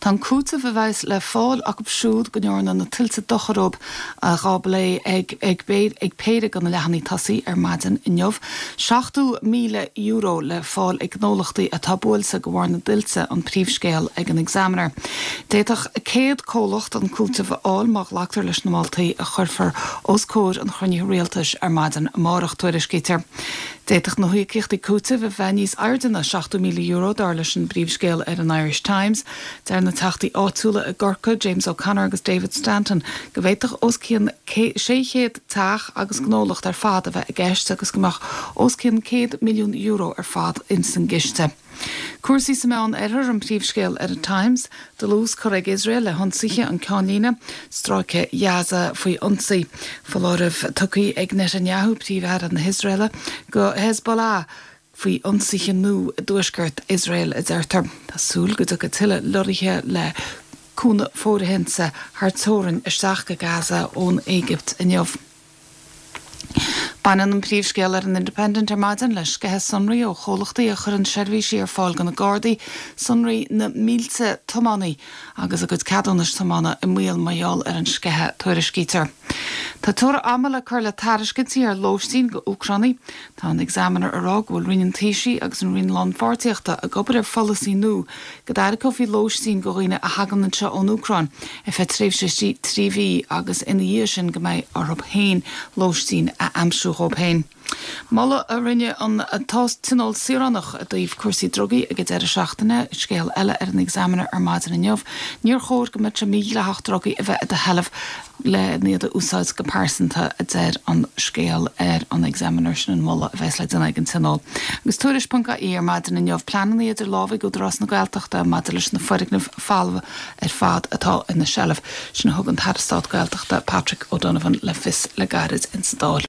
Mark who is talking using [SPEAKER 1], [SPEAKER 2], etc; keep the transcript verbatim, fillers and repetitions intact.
[SPEAKER 1] Tá an cúiteamh a bheas le fáil acu siúd go ndearna na tuilte dochar dóibh á bplé ag ag ag péire de na leathanaigh tosaigh ar maidin inniu. Seachtó míle euro le fáil ag gnólachtaí atá buailte de bharr na dtuilte an príomhscéal ag an Examiner. D'fhéadfadh céad comhlacht an cúiteamh a fháil má ghlactar leis na moltaí a chuirfear os comhair an chruinnithe rialtais ar maidin amárach tuairiscítear. D'fhéadfadh na híocaíochtaí cúitimh a bheith níos airde ná seachtó míle euro dar leis an bpríomhscéal ar an Irish Times, Deir na teachtaí áitiúla i gCorcaigh, James O'Connor agus David Stanton go bhféadfadh os cionn sé chéad teach agus gnólacht ar fad a bheith i gceist agus go mbeadh os cionn céad milliún euro ar fad insan gciste. Cúrsaí sa Mheánoirthear an príomhscéal ar an Times, dlús curtha ag Iosrael le hionsaithe an ceannlíne, stráice Gaza faoi ionsaí. Foláireamh tugtha ag Netanyahu príomh-aire na hIosraeile go Hezbollah faoi ionsaithe nua i dtuaisceart Iosrael a deirtear. Tá súil go dtiocfaidh tuilleadh lorraithe le cúnamh fóirithinte thar teorainn isteach go Gaza ón Éigipt inniu. Baineann an príomhscéal ar an Independent ar maidin le sceitheadh sonraí ó chomhlachtaí a chuireann seirbhísí ar fáil do na Gardaí, sonraí na mílte tiománaí agus a gcuid ceadúnais tiomána i mbaol mar gheall ar an sceitheadh tuairiscítear. Tá teora ama le cur le tairiscintí ar lóistín go Úcránaigh. Tá an Examiner ag rá go bhfuil Roinn an Taoisigh agus an Roinn Lánpháirtíochta ag obair ar pholasaí nua go dtairgeofaí lóistín go dhaoine a thagann anseo ón Úcráin ar feadh tréimhse trí mhí agus ina dhiaidh sin go mbeidh orthu féin lóistín a aimsiú dóibh féin. Moladh a rinne an Tionól Saoránach i dtaobh cúrsaí drugaí ag an deireadh seachtaine, scéal eile ar an Examiner ar maidin inniu, níor chóir go mbeadh sé mídhleathach drugaí a bheith i do sheilbh le iad a úsáid go pearsanta a deir an scéal ar an Examiner sin an moladh a bheas le déanamh ag an Tionól. Agus tuairisc ponc ie ar maidin inniu pleananna idir lámha ag Údarás na Gaeltachta maidir leis na foirgnimh folamh ar fad atá ina seilbh sin a thug an tAire Stáit Gaeltachta Patrick O'Donovan le fios le gairid insa Dáil.